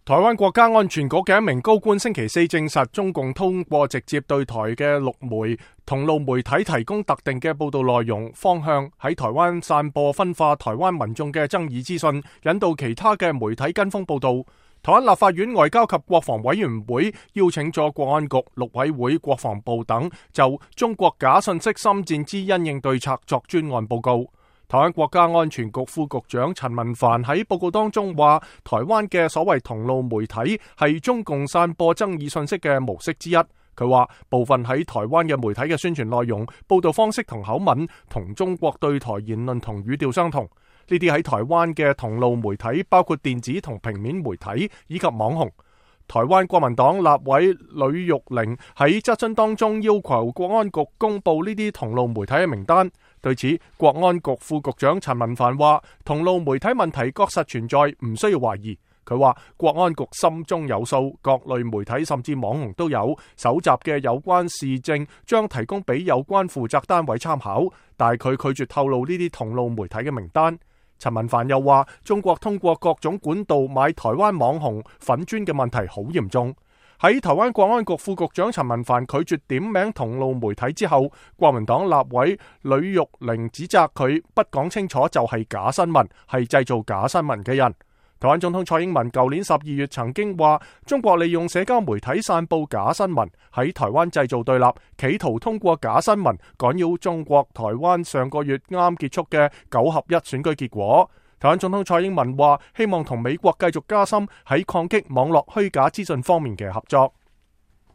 台灣國家安全局嘅一名高官星期四證實，中共通過直接對台嘅陸媒、同路媒體提供特定嘅報道內容方向，喺台灣散播分化台灣民眾嘅爭議資訊，引導其他嘅媒體跟風報道。台灣立法院外交及國防委員會邀請咗國安局、陸委會、國防部等就中國假信息心戰之因應對策作專案報告。台灣國家安全局副局長陳文帆喺報告當中話，台灣嘅所謂同路媒體係中共散播爭議信息嘅模式之一。佢話部分喺台灣嘅媒體嘅宣傳內容、報道方式同口吻同中國對台言論同語調相同。呢啲喺台灣嘅同路媒體包括電子同平面媒體以及網紅。台灣國民黨立委呂玉玲喺質詢當中要求國安局公布呢啲同路媒體嘅名單。對此，國安局副局長陳文帆話，同路媒體問題確實存在，唔需要懷疑。佢話國安局心中有數，各類媒體甚至網紅都有搜集嘅有關事證，將提供俾有關負責單位參考，但係佢拒絕透露呢啲同路媒體嘅名單。陳文帆又話，中國通過各種管道買台灣網紅粉專嘅問題好嚴重。喺台灣國安局副局長陳文帆拒絕點名同路媒體之後，國民黨立委呂玉玲指責佢不講清楚就係假新聞，係製造假新聞嘅人。台灣總統蔡英文舊年12月曾經話，中國利用社交媒體散布假新聞，喺台灣製造對立，企圖通過假新聞干擾中國台灣上個月啱結束嘅9合1選舉結果。台灣總統蔡英文話，希望同美國繼續加深喺抗擊網絡虛假資訊方面嘅合作。